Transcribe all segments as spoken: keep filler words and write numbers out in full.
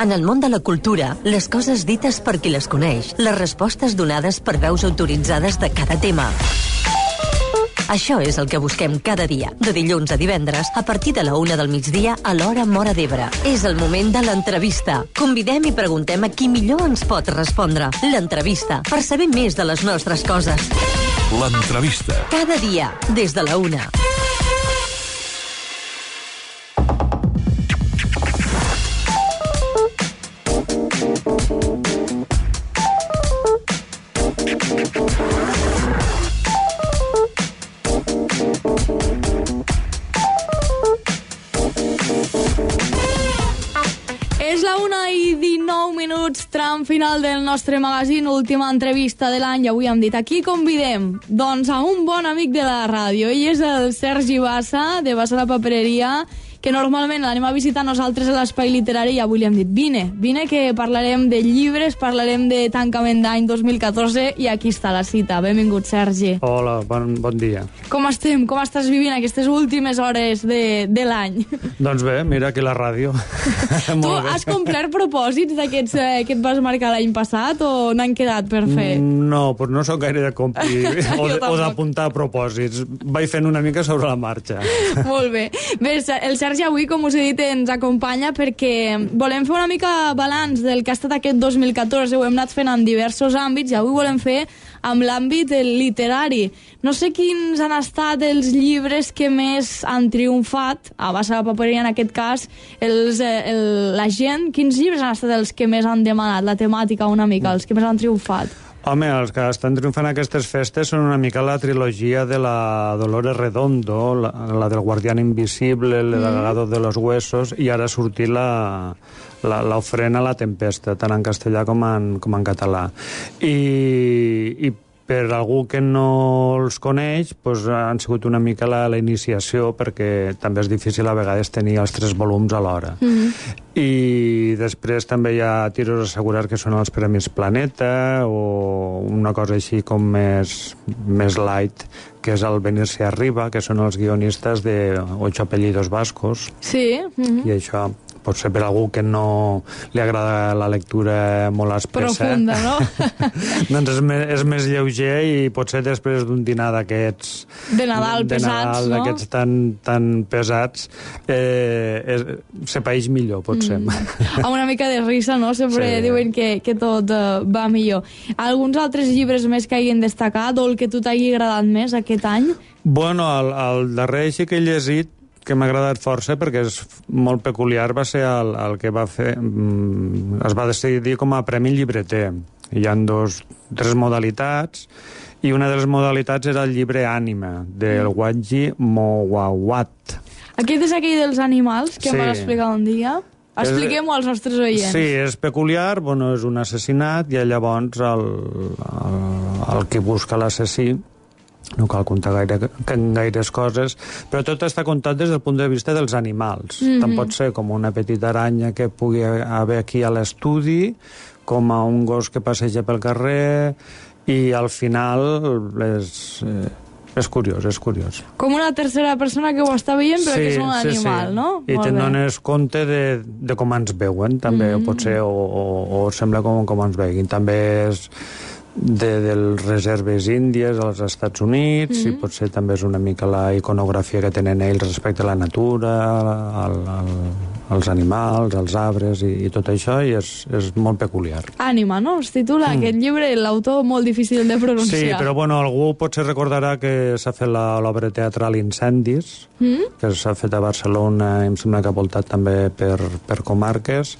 En el món de la cultura, les coses dites per qui les coneix, les respostes donades per veus autoritzades de cada tema. Això és el que busquem cada dia, de dilluns a divendres, a partir de la una del migdia a l'hora Móra d'Ebre. És el moment de l'entrevista. Convidem i preguntem a qui millor ens pot respondre. L'entrevista, per saber més de les nostres coses. L'entrevista. Cada dia, des de la una. Tram final del nostre magazín, última entrevista de l'any, i avui hem dit, aquí convidem doncs a un bon amic de la ràdio. Ell és el Sergi Bassa, de Bassa la Papereria, que normalment l'anem a visitar nosaltres a l'Espai Literari, i avui li hem dit, vine, vine que parlarem de llibres, parlarem de tancament d'any dos mil catorze, i aquí està la cita. Benvingut, Sergi. Hola, bon, bon dia. Com estem? Com estàs vivint aquestes últimes hores de, de l'any? Doncs bé, mira aquí la ràdio. Tu has complert propòsits d'aquests eh, que et vas marcar l'any passat o n'han quedat per fer? No, però no sóc gaire de complir o de- o d'apuntar propòsits. Vaig fent una mica sobre la marxa. Molt bé. Bé, el Sergi avui, com us he dit, ens acompanya perquè volem fer una mica balanç del que ha estat aquest dos mil catorze. Ho hem anat fent en diversos àmbits i avui volem fer amb l'àmbit literari. No sé quins han estat els llibres que més han triomfat, a Bassa la Papereria en aquest cas, els, el, la gent, quins llibres han estat els que més han demanat, la temàtica una mica, els que més han triomfat? Home, els que estan triomfant aquestes festes són una mica la trilogia de la Dolores Redondo, la, la del Guardián Invisible, el legado de los huesos, i ara ha sortit la, la, l'ofrena a la tempesta, tant en castellà com en, com en català. I, i per algú que no els coneix, doncs han sigut una mica la, la iniciació, perquè també és difícil a vegades tenir els tres volums alhora. Mm-hmm. I després també hi ha tiros a assegurar que són els Premis Planeta o una cosa així com més, més light, que és el Venirse Arriba, que són els guionistes de Ocho apellidos vascos. Sí. Mm-hmm. I això pot ser per algú que no li agrada la lectura molt espessa. Profunda, no? Doncs és més, és més lleuger i potser després d'un dinar d'aquests... De Nadal de pesats, Nadal, no? d'aquests tan, tan pesats, eh, és, se paeix millor, potser. Mm. A una mica de risa, no? Sempre Sí. diuen que, que tot uh, va millor. Alguns altres llibres més que hagin destacat o el que tu t'hagi agradat més aquest any? Bueno, el, el darrer així que he llegit, que m'ha agradat força perquè és molt peculiar, va ser el, el que va fer... Mm, es va decidir com a Premi Llibreter. Hi ha dos, tres modalitats, i una de les modalitats era el llibre Ànima, del Waji Mowawat. Aquest és aquell dels animals que Sí. em vas explicar un dia. Expliquem-ho als nostres oients. Sí, és peculiar, bueno, és un assassinat, i llavors el, el, el que busca l'assassí, no cal contar gaire, gaires coses, però tot està contat des del punt de vista dels animals. Mm-hmm. Tant pot ser com una petita aranya que pugui haver aquí a l'estudi, com a un gos que passeja pel carrer, i al final és, eh, és curiós, és curiós. Com una tercera persona que ho està veient, però que és un animal, sí. no? I Molt te'n bé. dones compte de, de com ens veuen, també, mm. pot ser, o, o, o sembla com, com ens veguin. També és de, dels reserves índies als Estats Units, mm. i potser també és una mica la iconografia que tenen ells respecte a la natura, al, al, als animals, als arbres i, i tot això, i és, és molt peculiar. Ànima, no? Es titula mm. aquest llibre, l'autor molt difícil de pronunciar. Sí, però bueno, algú potser recordarà que s'ha fet la- l'obra teatral Incendis, mm? que s'ha fet a Barcelona, i em sembla que ha voltat també per, per comarques,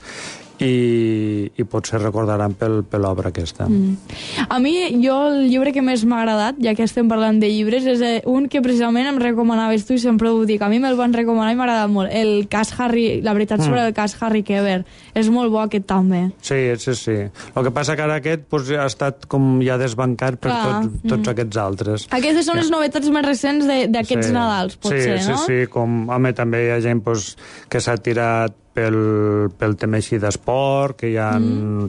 i, i potser recordaran pel, per l'obra aquesta. Mm. A mi, jo, el llibre que més m'ha agradat, ja que estem parlant de llibres, és eh, un que precisament em recomanaves tu i sempre ho dic. A mi me'l van recomanar i m'ha agradat molt. El cas Harry, la veritat sobre mm. el cas Harry Keber. És molt bo aquest també. Sí, sí, sí. El que passa que ara aquest pues, ha estat com ja desbancat per Clar. tot, tots mm. aquests altres. Aquestes són les novetats més recents de- d'aquests Sí. Nadals, potser, sí, no? Sí, sí, com, home, també hi ha gent pues, que s'ha tirat pel, pel tema així d'esport, que hi ha, mm.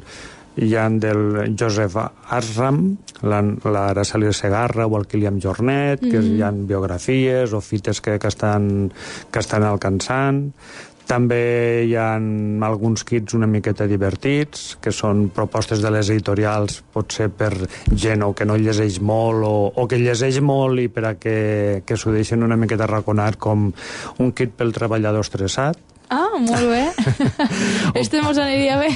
hi ha del Joseph Asram, la, la Araceli Segarra o el Kilian Jornet, mm. que hi ha biografies o fites que, que, estan, que estan alcançant. També hi ha alguns kits una miqueta divertits, que són propostes de les editorials, potser per gent o que no llegeix molt o, o que llegeix molt i per a que, que s'ho deixen una miqueta raconat, com un kit pel treballador estressat. Ah, molt bé. Este mos aniria bé.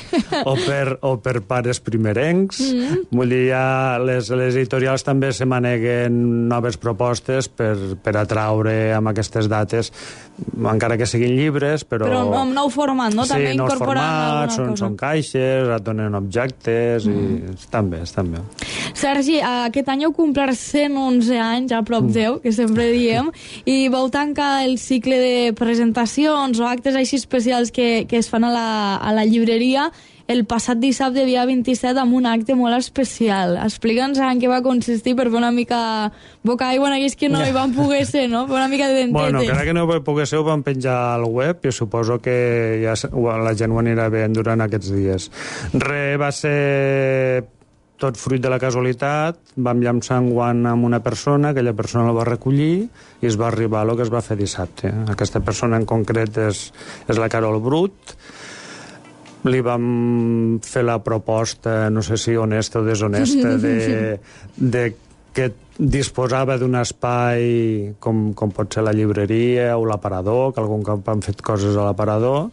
o, per, o per pares primerencs. Mm-hmm. Vull dir, ja les, les editorials també se maneguen noves propostes per, per atraure amb aquestes dates, encara que siguin llibres, però... Però amb nou format, no? Sí, també nous incorporant formats, són, són caixes, et donen objectes, mm. i estan bé, estan bé. Sergi, aquest any heu complert cent onze anys, a prop deu, que sempre diem, i vau tancar el cicle de presentacions o actes així especials que, que es fan a la, a la llibreria el passat dissabte, dia vint-i-set, amb un acte molt especial. Explica'ns en què va consistir per fer una mica boca aigua en aquells que no hi van poder ser, no? Per una mica de dentetes. Bueno, encara que no hi poder ser, ho van penjar al web i suposo que ja la gent ho anirà veient durant aquests dies. Re, va ser tot fruit de la casualitat. Vam llançar un guant amb una persona, aquella persona el va recollir i es va arribar a lo que es va fer dissabte. Aquesta persona en concret és, és la Carol Brut. Li vam fer la proposta, no sé si honesta o deshonesta, de, de que disposava d'un espai com, com pot ser la llibreria o l'aparador, que algun cop han fet coses a l'aparador,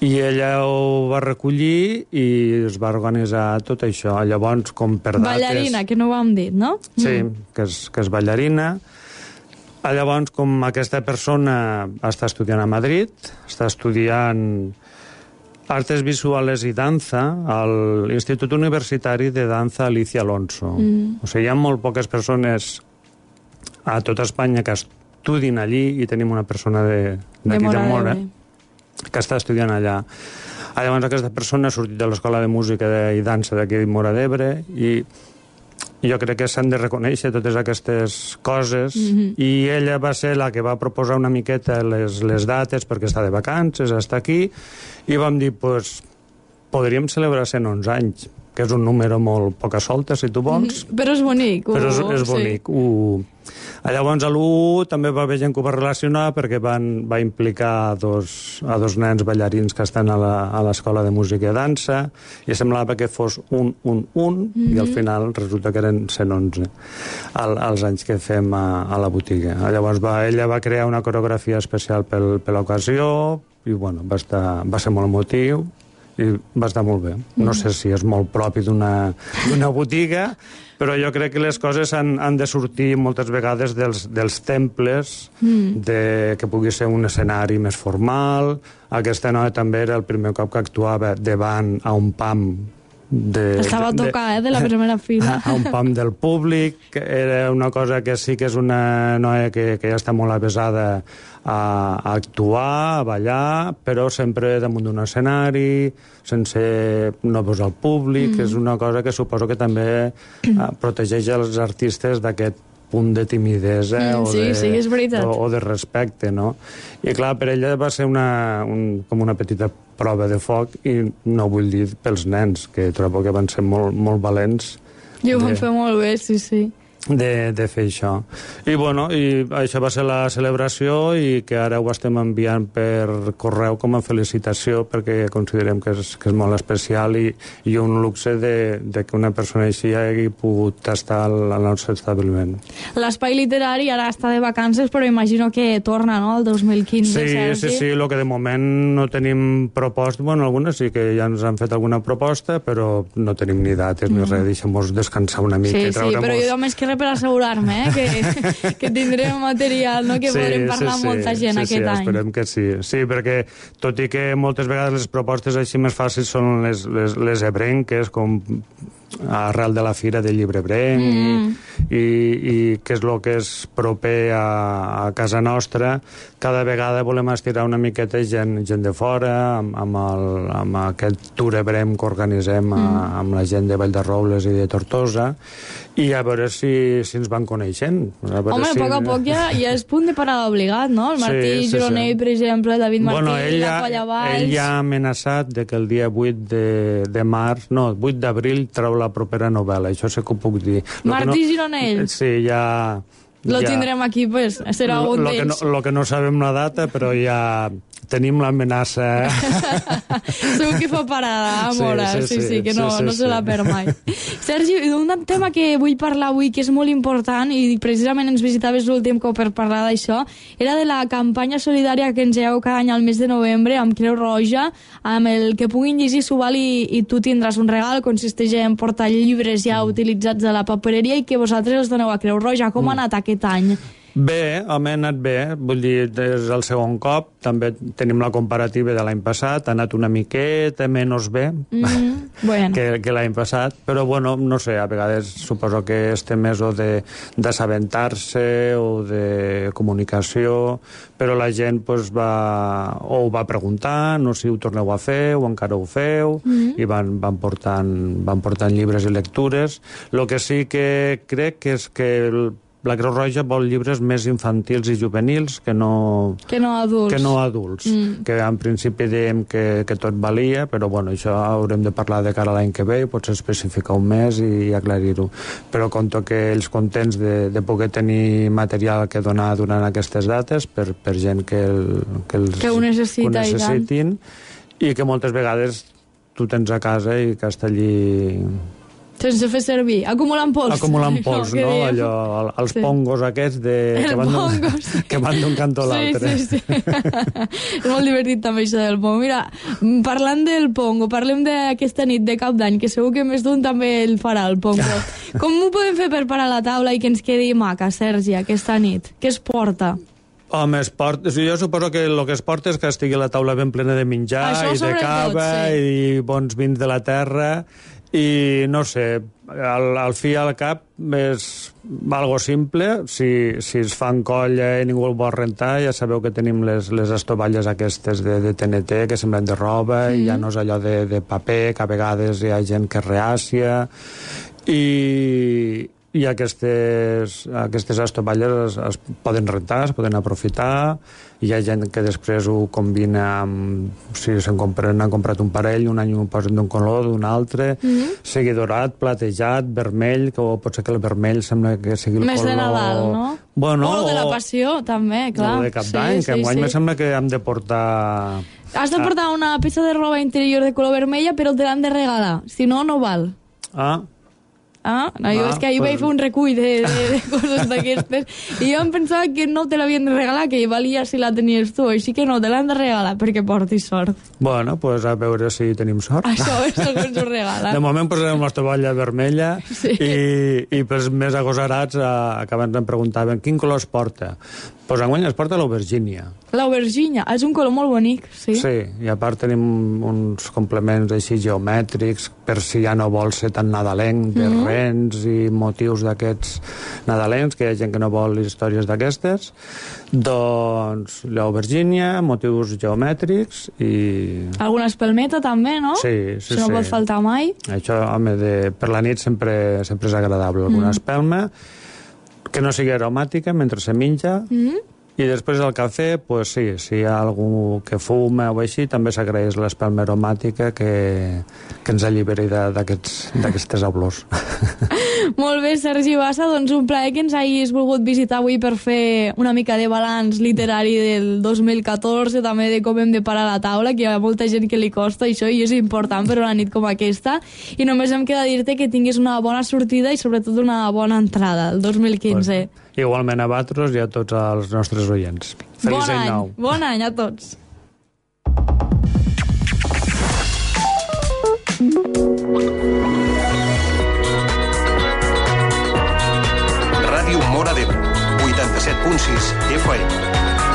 i ella ho va recollir i es va organitzar tot això. Llavors, com per dates... Ballarina, que no ho hem dit, no? Sí, mm. que, és, que és ballarina. Llavors, com aquesta persona està estudiant a Madrid, està estudiant Artes Visuales i Danza al Institut Universitari de Danza Alicia Alonso. Mm. O sigui, hi ha molt poques persones a tota Espanya que estudin allí i tenim una persona d'aquí de Mora que està estudiant allà. Llavors aquesta persona ha sortit de l'Escola de Música i Dansa d'aquí de Móra d'Ebre i jo crec que s'han de reconèixer totes aquestes coses. Mm-hmm. I ella va ser la que va proposar una miqueta les, les dates perquè està de vacances, està aquí, i vam dir, pues, podríem celebrar cent onze anys, que és un número molt poca solta, si tu vols. Mm, però és bonic. Però és, és bonic. Sí. Uh, llavors, a l'u també va haver gent que ho va relacionar perquè van, va implicar a dos, a dos nens ballarins que estan a l'Escola de Música i Dansa i semblava que fos un, un, un, mm-hmm. i al final resulta que eren cent onze al, als anys que fem a, a la botiga. Llavors va, ella va crear una coreografia especial pel, per l'ocasió i bueno, va, estar, va ser molt emotiu i va estar molt bé. No sé si és molt propi d'una botiga, però jo crec que les coses han, han de sortir moltes vegades dels, dels temples, mm. de, que pugui ser un escenari més formal. Aquesta noia també era el primer cop que actuava davant a un pam de, estava a tocar, de, eh, de la primera fila. A un pam del públic. Era una cosa que sí que és una noia que, que ja està molt avesada a, a actuar, a ballar, però sempre damunt d'un escenari, sense no posar al públic. Mm. És una cosa que suposo que també uh, protegeix els artistes d'aquest punt de timidesa mm, o, sí, de, sí, és veritat. o, o de respecte, no? I clar, per ella va ser una, un, com una petita prova de foc, i no vull dir pels nens, que trobo que van ser molt, molt valents. I ho van fer molt bé, sí, sí. De, de fer això. I bueno, i això va ser la celebració i que ara ho estem enviant per correu com a felicitació perquè considerem que és, que és molt especial i, i un luxe de, de que una persona així hagi pogut estar al, al nostre establiment. L'espai literari ara està de vacances, però imagino que torna, no?, el dos mil quinze. Sí, sí, sí, el que de moment no tenim proposta, bueno, algunes sí que ja ens han fet alguna proposta, però no tenim ni dates mm. ni res, deixem-nos descansar una mica. Sí, sí, però jo més que per assegurar-me, eh, que, que tindrem material, no?, que sí, podrem parlar sí, amb molta gent sí, aquest sí, any. Esperem que sí. Sí, perquè tot i que moltes vegades les propostes així més fàcils són les, les, les ebrenques, com arrel de la fira del llibre ebrenc, mm. i, i que és el que és proper a, a casa nostra. Cada vegada volem estirar una miqueta gent, gent de fora, amb, amb, el, amb aquest tour ebrenc que organitzem a, mm. amb la gent de Vall de Robles i de Tortosa, i a veure si, si ens van coneixent. A Home, si... a poc a poc ja, ja és punt de parada obligat, no? El Martí sí, sí, Gironell, sí. per exemple, David Martí, bueno, ell la Colla Valls... Ell ja ha amenaçat de que el dia vuit de, de març, no, vuit d'abril treu la propera novel·la, això sí que ho puc dir. Martí no... Gironell? Sí, ja... Lo ja, tindrem aquí, pues, serà lo, un lo que d'ells. no, lo que no sabem la data, però ja tenim l'amenaça. Segur que fa parada, Mora, sí, sí, sí, sí, que no, sí, sí, no se la sí. perd mai. Sergi, un tema que vull parlar avui, que és molt important, i precisament ens visitaves l'últim cop per parlar d'això, era de la campanya solidària que engegeu cada any al mes de novembre amb Creu Roja, amb el que puguin llegir s'ho val i, i tu tindràs un regal, consisteix en portar llibres ja utilitzats a la papereria i que vosaltres els doneu a Creu Roja. Com ha anat aquest any? Bé, home, ha anat bé, vull dir, és el segon cop, també tenim la comparativa de l'any passat, ha anat una miqueta menys bé mm, bueno. que, que l'any passat, però bueno, no sé, a vegades suposo que este mes o d'assabentar-se o de comunicació, però la gent pues, va, o ho va preguntar, no sé si ho torneu a fer o encara ho feu, mm. i van, van, portant, van portant llibres i lectures. El que sí que crec que és que el, la Creu Roja vol llibres més infantils i juvenils que no, que no adults, que no adults. Mm. Que en principi dèiem que, que tot valia, però bueno, això haurem de parlar de cara a l'any que ve i potser especificar un mes i aclarir-ho. Però conto que ells contents de, de poder tenir material que donar durant aquestes dates per, per gent que, el, que, els, que ho necessita, que ho necessitin i, i que moltes vegades tu tens a casa i que està allí... sense fer servir, acumulant pols. Acumulant pols, no? no? Allò, els sí. pongos aquests de... que van pongos. que van d'un cantó a l'altre. Sí, sí, sí. És molt divertit també això del pongo. Mira, parlant del pongo, parlem d'aquesta nit de Cap d'Any, que segur que més d'un també el farà, el pongo. Com ho podem fer per parar la taula i que ens quedi maca, Sergi, aquesta nit? Què es porta? Home, es porta, jo suposo que el que es porta és que estigui la taula ben plena de menjar això i de cava sí. i bons vins de la terra i no sé, al, al fi i al cap és algo simple, si, si es fan colla i ningú el vol rentar, ja sabeu que tenim les, les estovalles aquestes de, de T N T que semblen de roba mm. i ja no és allò de, de paper, que a vegades hi ha gent que és reàcia i, i aquestes, aquestes estovalles es, es poden rentar, es poden aprofitar. Hi ha gent que després ho combina amb... Si se'n compren, han comprat un parell, un any ho posen d'un color, d'un altre, mm-hmm. sigui dorat, platejat, vermell, que pot ser que el vermell sembla que sigui el més color... Més de Nadal, no? Bueno, o de la Passió, també, clar. O de Cap d'Any, sí, que enguany sí. me sembla que hem de portar... Has de portar una peça de roba interior de color vermella, però te l'han de regalar. Si no, no val. Ah, Ah, no, jo ah, és que ahir pues... vaig fer un recull de, de, de coses d'aquestes i jo em pensava que no te l'havien de regalar, que valia si la tenies tu, així que no, te l'han de regalar perquè portis sort. Bueno, pues a veure si tenim sort. Això és el que ens ho regala. De moment posarem la tovalля vermella sí. i, i pels més agosarats eh, que abans em preguntaven quin color es porta. Pues enguany es porta l'aubergínia. L'aubergínia, és un color molt bonic, sí. Sí, i a part tenim uns complements així geomètrics per si ja no vol ser tan nadalenc, de mm-hmm. rens i motius d'aquests nadalencs, que hi ha gent que no vol històries d'aquestes. Doncs l'aubergínia, motius geomètrics i... Alguna espelmeta també, no? Sí, sí, sí. Això no pot faltar mai. Això, home, de, per la nit sempre, sempre és agradable. Alguna mm. espelma que no sigui aromàtica mentre se menja, mm-hmm. i després del cafè, pues sí, si hi ha algú que fuma o així, també s'agraeix l'espelma aromàtica que, que ens alliberi d'aquestes olors. Molt bé, Sergi Bassa, doncs un plaer que ens hagis volgut visitar avui per fer una mica de balanç literari del dos mil catorze, també de com hem de parar la taula, que hi ha molta gent que li costa això i és important per una nit com aquesta, i només em queda dir-te que tinguis una bona sortida i sobretot una bona entrada el dos mil quinze. Pues, igualment a vosaltres i a tots els nostres oients. Feliç any nou. Bon any a tots. Ràdio Móra d'Ebre, vuitanta-set punt sis F M.